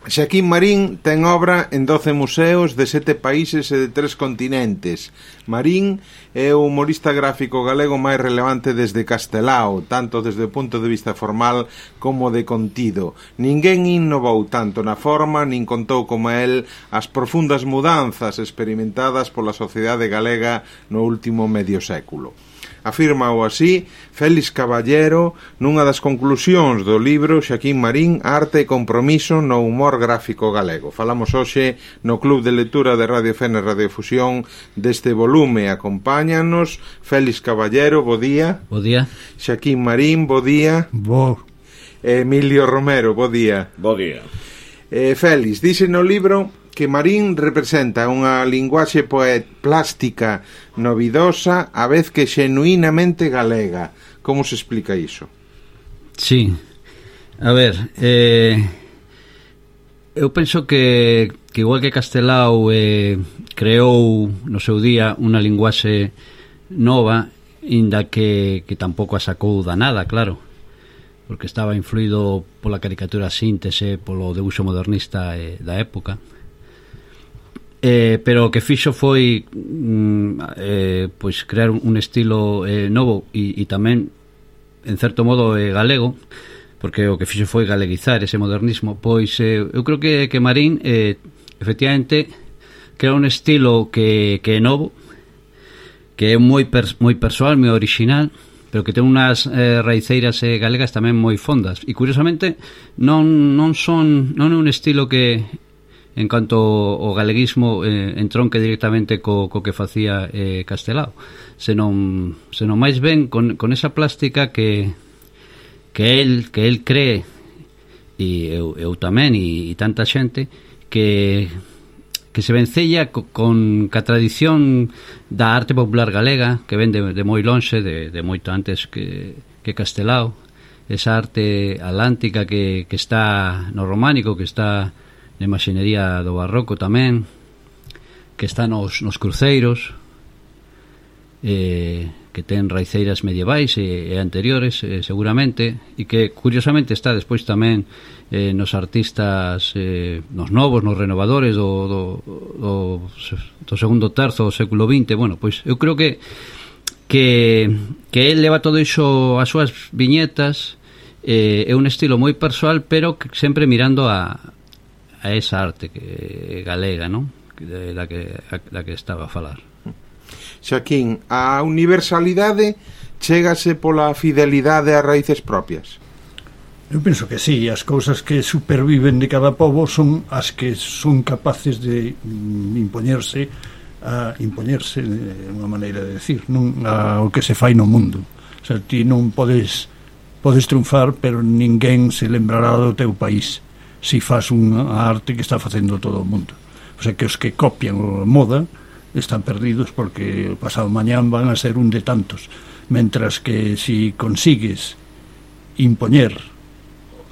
Xaquín Marín ten obra en 12 museos de 7 países e de 3 continentes. Marín é o humorista gráfico galego máis relevante desde Castelao, tanto desde o punto de vista formal como de contido. Ninguén innovou tanto na forma, nin contou como el as profundas mudanzas experimentadas pola sociedade galega no último medio século. Afírmao así Félix Caballero nunha das conclusións do libro Xaquín Marín, Arte e Compromiso no humor gráfico galego. Falamos hoxe no Club de Lectura de Radio Fene Radiofusión deste volume. Acompáñanos Félix Caballero, bo día. Bo día. Xaquín Marín, bo día. Bo. Emilio Romero, bo día. Bo día. Félix, dice no libro que Marín representa unha linguaxe plástica novidosa a vez que xenuinamente galega. Como se explica iso? Sí, a ver, eu penso que igual que Castelao creou no seu día unha linguaxe nova, inda que tampouco a sacou da nada, claro, porque estaba influído pola caricatura síntese, polo debuxo modernista da época. Pero o que fixo foi pois crear un estilo novo e tamén en certo modo galego, porque o que fixo foi galeguizar ese modernismo. Pois eu creo que Marín efectivamente crea un estilo que é novo, que é moi persoal, moi original, pero que ten unhas raiceiras galegas tamén moi fondas, e curiosamente non é un estilo que en canto ao galeguismo entronque directamente co que facía Castelao, senón máis ben con esa plástica que el cree, e eu tamén, e tanta xente que se vencella con a tradición da arte popular galega, que ven de moi lonxe, de moito antes que Castelao, esa arte atlántica que está no románico, que está na imaxinería do barroco tamén, que está nos cruceiros, que ten raiceiras medievais e anteriores, seguramente, e que curiosamente está despois tamén nos artistas, nos novos, nos renovadores do segundo terzo do século XX. Bueno, pois eu creo que el leva todo iso as súas viñetas, é un estilo moi persoal, pero sempre mirando a esa arte galega, non? Da que estaba a falar. Xaquín, a universalidade chégase pola fidelidade ás raíces propias? Eu penso que sí, as cousas que superviven de cada pobo son as que son capaces de impoñerse unha maneira de decir, non ao que se fai no mundo. O sea, ti non podes triunfar, pero ninguén se lembrará do teu país se faz unha arte que está facendo todo o mundo. O sea, que os que copian a moda están perdidos, porque o pasado mañán van a ser un de tantos, mentras que si consigues impoñer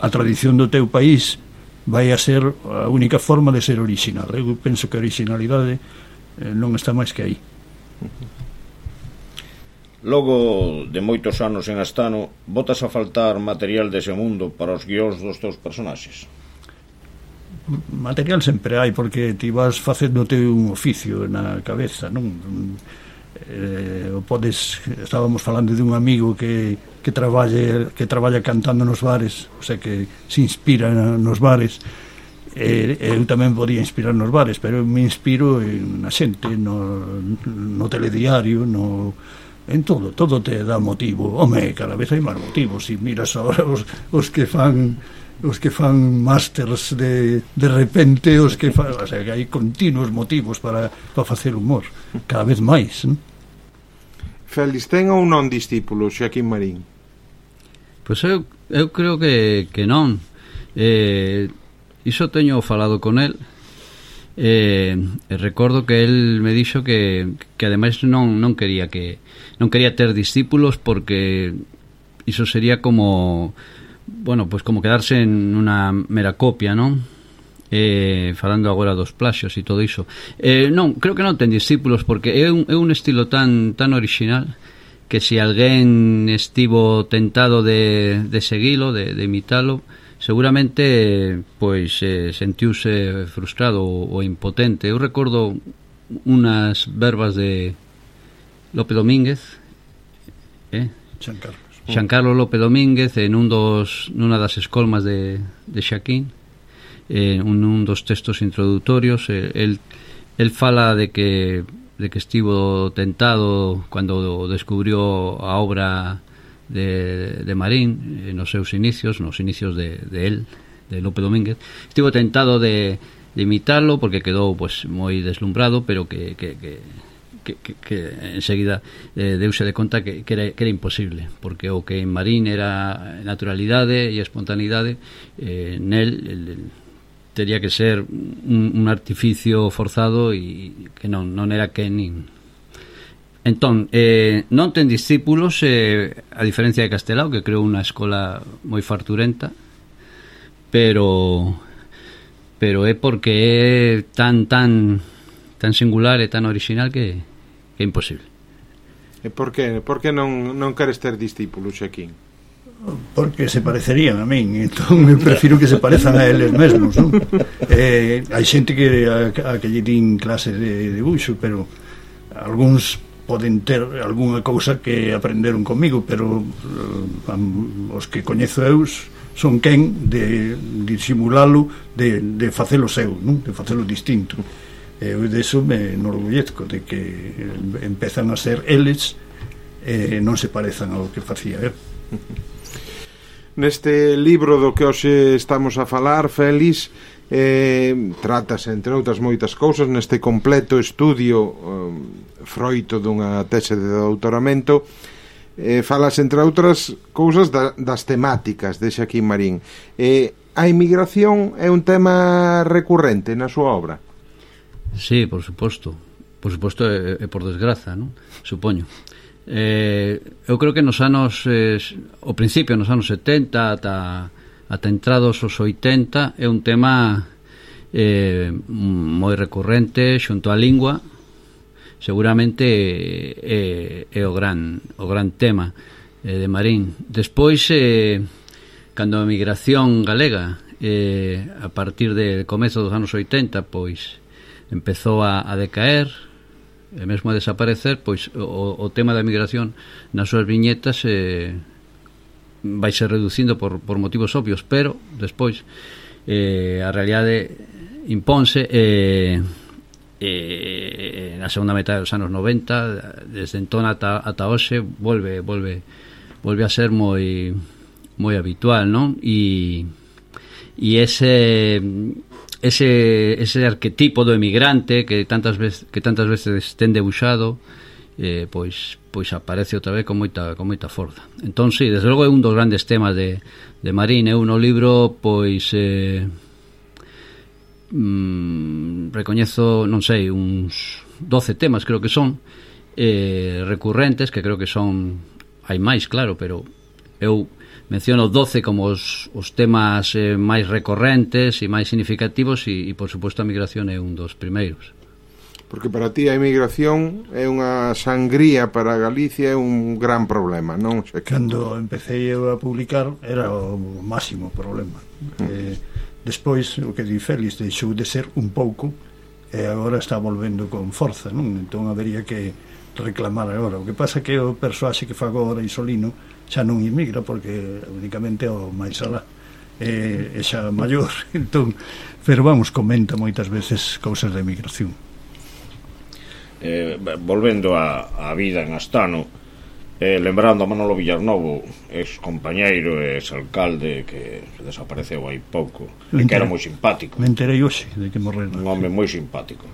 a tradición do teu país, vai a ser a única forma de ser original. Eu penso que a originalidade non está máis que aí. Logo de moitos anos en Astano, botas a faltar material dese mundo para os guións dos teus personaxes? Material sempre hai, porque ti vas facéndote un oficio na cabeza, non? Estábamos falando de un amigo que traballa cantando nos bares, o sea, que se inspira nos bares. Eu tamén podía inspirar nos bares, pero eu me inspiro na xente, no telediario, en todo te dá motivo. Home, cada vez hai máis motivos. Se miras agora os que fan másters de repente, o sea, que hai continuos motivos para facer humor, cada vez máis, non? Félix, ten ou non discípulos Xaquín Marín? Pois eu creo que non. Iso teño falado con el, e recordo que el me dixo que ademais non quería ter discípulos, porque iso sería como, bueno, pues como quedarse en unha mera copia, non? Falando agora dos plaxios e todo iso. Non, creo que non ten discípulos, porque é un estilo tan original que se alguén estivo tentado de seguilo, de imitalo, seguramente pois sentiuse frustrado ou impotente. Eu recordo unas verbas de Lope Domínguez, Xan Carlos Lope Domínguez, nunha das escolmas de Xaquín, un dos textos introdutorios. El fala de que estivo tentado cando descubrió a obra de Marín nos seus inicios, de Lope Domínguez. Estivo tentado de imitarlo porque quedou pues moi deslumbrado, pero que enseguida deuse de conta que era imposible, porque o que en Marín era naturalidade e espontaneidade, nel tería que ser un artificio forzado e que non era que nin. Entón, non ten discípulos, a diferencia de Castelao, que creou unha escola moi farturenta, pero é porque é tan singular e tan original que é imposible. E por que non queres ter discípulos, Xaquín? Porque se parecerían a min, entón eu prefiro que se parezan a eles mesmos, non? Hai xente que lle din clase de debuxo, pero algúns poden ter algunha cousa que aprenderon comigo, pero os que coñezo eu son quen de disimulalo, de facelo seu, non? De facelo distinto. Eu deso me enorgullezco de que empezan a ser eles non se parezan ao que facía eu. Neste libro do que hoxe estamos a falar, Félix, tratas, entre outras moitas cousas, neste completo estudio froito dunha tese de doutoramento, falas, entre outras cousas, das temáticas de Xaquín Marín. A inmigración é un tema recurrente na súa obra? Sí, por suposto, e por desgraza, non? Supoño. Eu creo que nos anos ao principio, nos anos 70 ata entrados os 80, é un tema moi recurrente xunto á lingua. Seguramente é o gran tema de Marín. Despois, cando a migración galega, a partir de comezo dos anos 80, pois empezou a decaer e mesmo a desaparecer, pois o tema da migración nas súas viñetas vai ser reducindo por motivos obvios, pero despois a realidade imponse na segunda metade dos anos 90, desde entón ata hoxe volve a ser moi habitual, non? E ese arquetipo do emigrante que tantas veces ten debuxado, pois aparece outra vez con moita forza. Entón, sí, desde logo é un dos grandes temas de Marín. Eu no libro, pois recoñezo, non sei, uns 12 temas, creo que son recurrentes, que creo que son, hai máis, claro, pero eu menciono 12 como os temas máis recorrentes e máis significativos, e por suposto a migración é un dos primeiros. Porque para ti a emigración é unha sangría para Galicia, é un gran problema, non? Cando empecé a publicar era o máximo problema. Despois, o que di Félix, deixou de ser un pouco e agora está volvendo con forza, non? Entón habería que reclamar agora. O que pasa é que o persoaxe que fago agora, Isolino, xa non emigra porque únicamente o máis alá é xa maior. Entón, pero vamos, comenta moitas veces cousas de emigración. Volvendo á vida en Astano, lembrando a Manolo Villarnovo, ex compañeiro e ex alcalde que desapareceu hai pouco, que era moi simpático. Me enterei hoxe de que morreu. Un home moi simpático.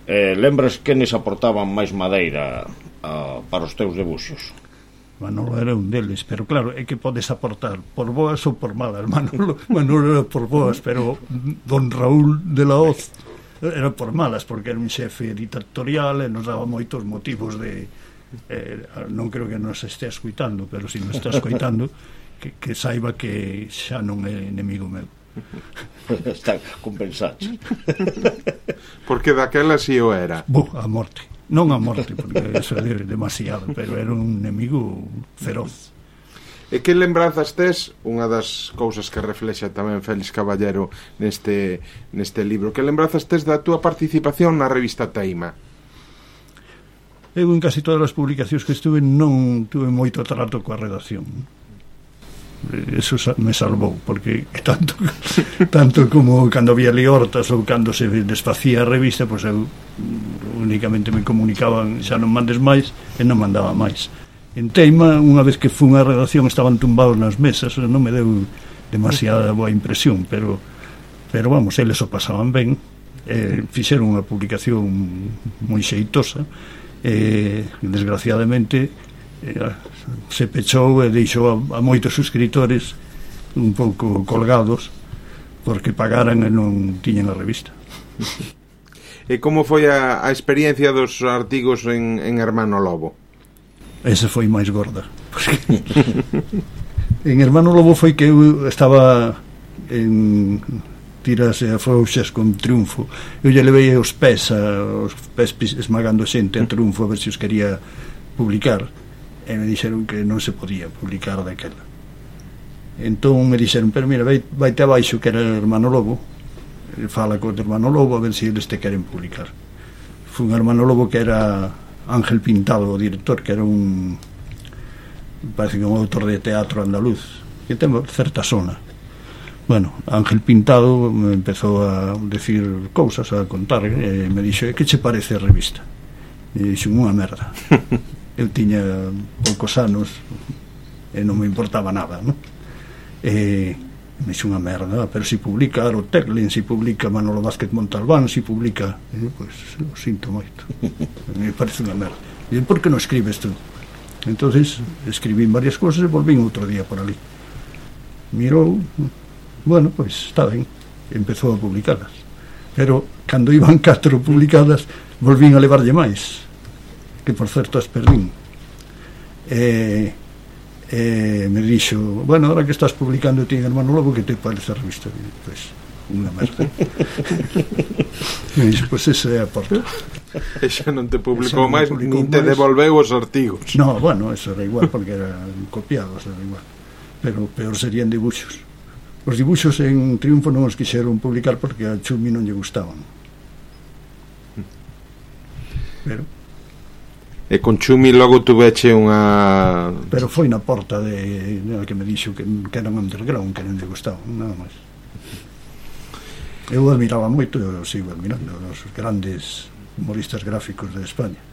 Lembras que nes aportaban máis madeira para os teus debuxos? Manolo era un deles, pero claro, é que podes aportar por boas ou por malas. Manolo era por boas, pero don Raúl de la Hoz era por malas, porque era un xefe dictatorial e nos daba moitos motivos de non creo que nos estea escuitando, pero se nos está escuitando que saiba que xa non é enemigo meu. Está compensado. Porque daquela si o era. A morte. Non a morte, porque eso é demasiado, pero era un enemigo feroz. E que lembranzas tes, unha das cousas que reflexa tamén Félix Caballero neste libro, que lembranzas tes da túa participación na revista Teima? Eu en casi todas as publicacións que estuve non tuve moito trato coa redacción. Eso me salvou, porque tanto como cando había liortas ou cando se desfacía a revista, pois eu únicamente me comunicaban xa non mandes máis, e non mandaba máis. En Teima, unha vez que fun á redacción, estaban tumbados nas mesas, non me deu demasiada boa impresión, pero vamos, eles o pasaban ben, fixeron unha publicación moi xeitosa, desgraciadamente se pechou e deixou a moitos suscriptores un pouco colgados porque pagaran e non tiñan a revista. E como foi a experiencia dos artigos en Hermano Lobo? Esa foi máis gorda, porque en Hermano Lobo foi que eu estaba en tiras e afrouxas con Triunfo. Eu lle levei os pés esmagando xente a Triunfo a ver se os quería publicar, e me dixeron que non se podía publicar daquela. Entón me dixeron, pero mira, vaite abaixo que era Hermano Lobo, fala co Hermano Lobo a ver se eles te queren publicar. Foi un Hermano Lobo que era Ángel Pintado, o director, que era parece que un autor de teatro andaluz que ten certa sona. Bueno, Ángel Pintado me empezou a decir cousas, a contar, e me dixo, que che parece a revista? E dixo, unha merda. Eu tiña poucos anos e non me importaba nada, non? E me dixo, unha merda, pero si publica Aroteklin, si publica Manolo Vázquez Montalbán, si publica, pois o sinto moito, me parece unha merda. E por que non escribes tú? Entonces escribín varias cousas e volvín outro día por ali, mirou, bueno, pois está ben, empezou a publicalas, pero cando iban 4 publicadas volvín a levarlle máis, que por certo as perdín. Me dixo, bueno, ahora que estás publicando ti en Hermano Lobo, que te parece a revista? Pois, unha merda. Me dixo, pois esa é a porta. E xa non te publicou máis, nin te devolveu os artigos. No, bueno, eso era igual, porque eran copiados, era igual. Pero peor serían dibuxos. Os dibuxos en Triunfo non os quixeron publicar porque a Chumi non lle gustaban. Pero e con Chumi logo tuveche unha... Pero foi na porta que me dixo que eran underground, que non lle gustaban, nada máis. Eu admiraba moito, eu sigo admirando os grandes humoristas gráficos de España.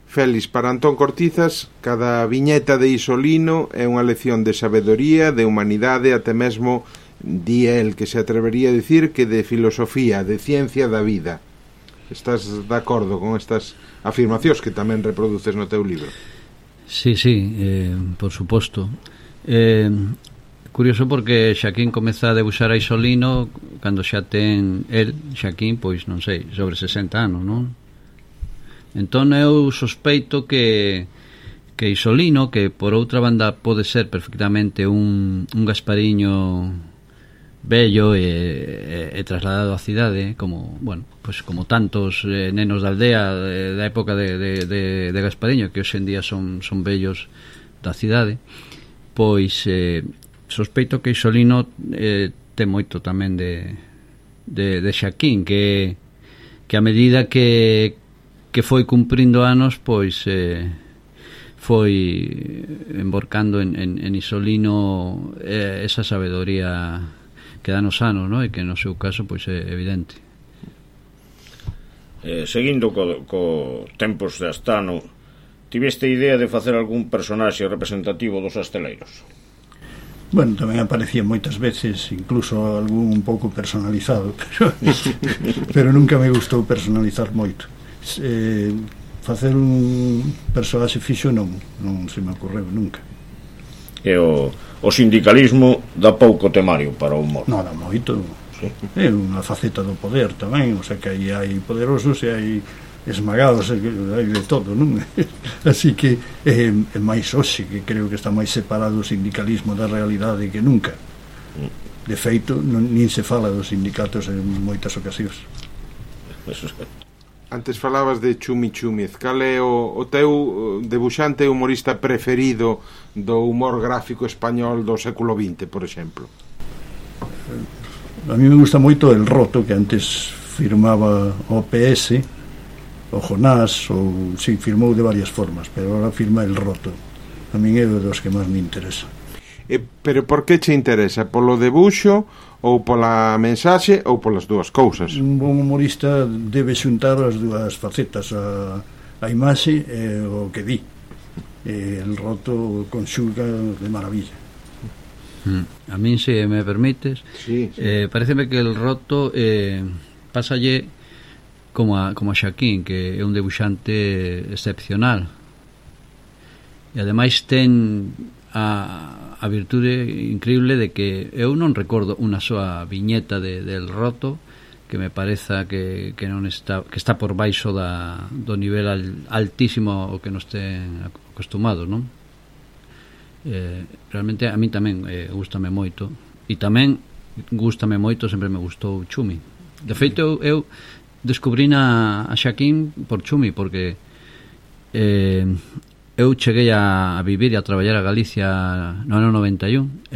Félix, para Antón Cortizas, cada viñeta de Isolino é unha lección de sabedoría, de humanidade, até mesmo di el que se atrevería a dicir que de filosofía, de ciencia da vida. Estás de acordo con estas afirmacións que tamén reproduces no teu libro? Sí, por suposto. Curioso porque Xaquín comeza a debuxar a Isolino cando xa ten el, Xaquín, pois non sei, sobre 60 anos, non? Entón eu sospeito que Isolino, que por outra banda pode ser perfectamente un Gaspariño bello e trasladado á cidade, como, bueno, pues como tantos nenos da aldea da época de Gaspariño, que hoxe en día son bellos da cidade, pois sospeito que Isolino ten moito tamén de Xaquín, que a medida que foi cumprindo anos, pois foi emborcando en Isolino esa sabedoría que dan os anos, non? E que no seu caso pois é evidente. Seguindo co tempos de Astano, tiveste idea de facer algún personaxe representativo dos asteleiros? Bueno, tamén aparecía moitas veces, incluso algún un pouco personalizado, pero nunca me gustou personalizar moito. Facer un personaxe fixo non se me ocorreu nunca. E o sindicalismo dá pouco temario para o humor. Non dá moito, sí. É unha faceta do poder tamén, o sea que aí hai poderosos e hai esmagados, hai de todo, non? Así que é máis hoxe, que creo que está máis separado o sindicalismo da realidade que nunca. De feito, nin se fala dos sindicatos en moitas ocasións. Antes falabas de Chumi Chúmez. Cal é o teu debuxante e humorista preferido do humor gráfico español do século XX, por exemplo? A mí me gusta moito El Roto, que antes firmaba OPS, o Jonás, ou si, firmou de varias formas, pero agora firma El Roto. A min é dos que máis me interesa. Pero por que che interesa? Polo debuxo ou pola mensaxe ou polas dúas cousas? Un bon humorista debe xuntar as dúas facetas, a imaxe e o que di. El Roto conxuga de maravilla. A min, se me permites, sí. Pareceme que El Roto pásalle como a Xaquín, que é un debuxante excepcional, e ademais ten a virtude increíble de que eu non recordo unha soa viñeta del Roto que me pareza que non está, que está por baixo do nivel altísimo o que nos ten acostumados, non? Realmente a mí tamén gústame moito, e tamén gústame moito, sempre me gustou Chumi. De feito, eu descubrín a Xaquín por Chumi, porque eu cheguei a vivir e a traballar a Galicia no ano 91,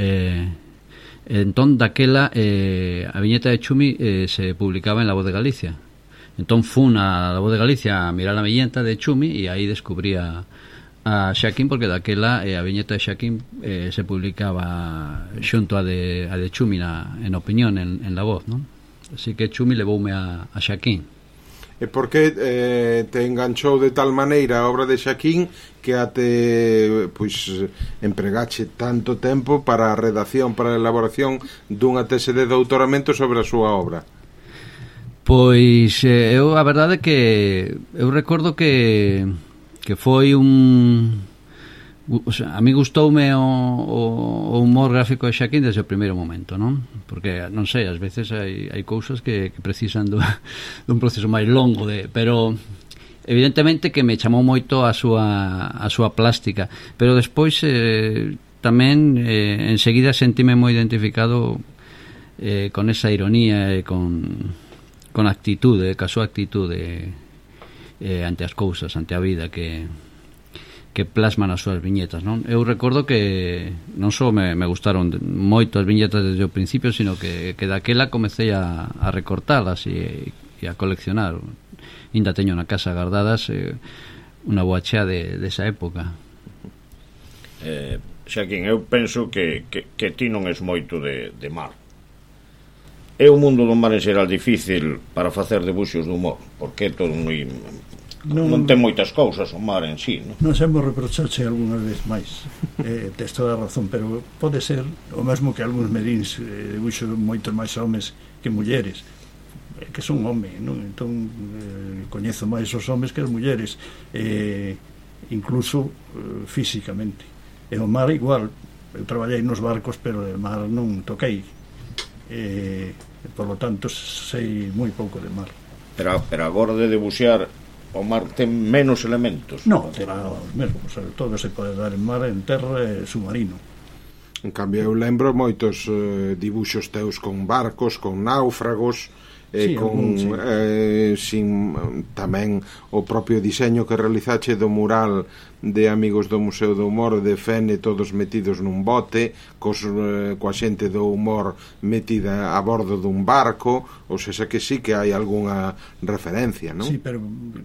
entón daquela a viñeta de Chumi se publicaba en La Voz de Galicia. Entón fun a La Voz de Galicia a mirar a viñeta de Chumi e aí descubrí a Xaquín, porque daquela a viñeta de Xaquín se publicaba xunto a de Chumi en opinión en La Voz, non? Así que Chumi levoume a Xaquín. E por que te enganchou de tal maneira a obra de Xaquín que até empregache tanto tempo para a redacción, para a elaboración dunha tese de doutoramento sobre a súa obra? Pois eu, a verdade, que eu recordo que foi o sea, a mí gustoume o humor gráfico de Xaquín desde o primeiro momento, non? Porque, non sei, ás veces hai cousas que precisan dun proceso máis longo, pero evidentemente que me chamou moito a súa plástica, pero despois tamén enseguida sentime moi identificado con esa ironía e con a actitude, ca súa actitude ante as cousas, ante a vida que plasman as súas viñetas, non? Eu recordo que non só me gustaron moito as viñetas desde o principio, sino que daquela comecei a recortalas e a coleccionar. Ainda teño na casa guardadas unha boa chea desa época. Xaquín, eu penso que ti non és moito de mar. É o mundo do mar en xeral difícil para facer debuxos de humor, porque é todo moi... Non ten moitas cousas o mar en sí, non? Non sabemos reprochache algunha vez máis, tes toda a razón, pero pode ser o mesmo que algúns medíns debuxo moitos máis homes que mulleres, que son home, non? Entón coñezo máis os homes que as mulleres, incluso físicamente. E o mar igual, eu traballei nos barcos, pero de mar non toquei, por lo tanto sei moi pouco de mar. Pero agora de debuxar, o mar ten menos elementos? Non, terá os mesmos, todo se pode dar en mar, en terra e submarino. En cambio, eu lembro moitos dibuxos teus con barcos, con náufragos, sí, sin tamén o propio diseño que realizache do mural de Amigos do Museo do Humor de Fene, todos metidos nun bote coa xente do humor metida a bordo dun barco, ou seja que sí que hai algunha referencia, non? Sí, pero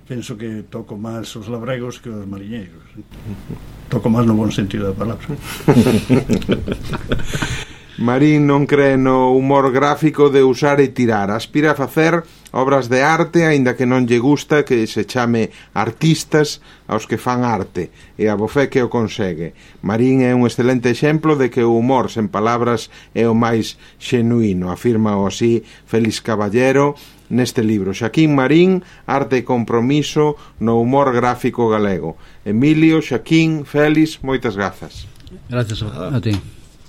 penso que toco máis os labregos que os mariñeiros. Toco máis no bon sentido da palabra. Marín non cree no humor gráfico de usar e tirar, aspira a facer obras de arte, aínda que non lle gusta que se chame artistas aos que fan arte, e a bofé que o consegue. Marín é un excelente exemplo de que o humor sen palabras é o máis xenuíno, afirma o así Félix Caballero neste libro. Xaquín Marín, arte e compromiso no humor gráfico galego. Emilio, Xaquín, Félix, moitas grazas. Gracias a ti.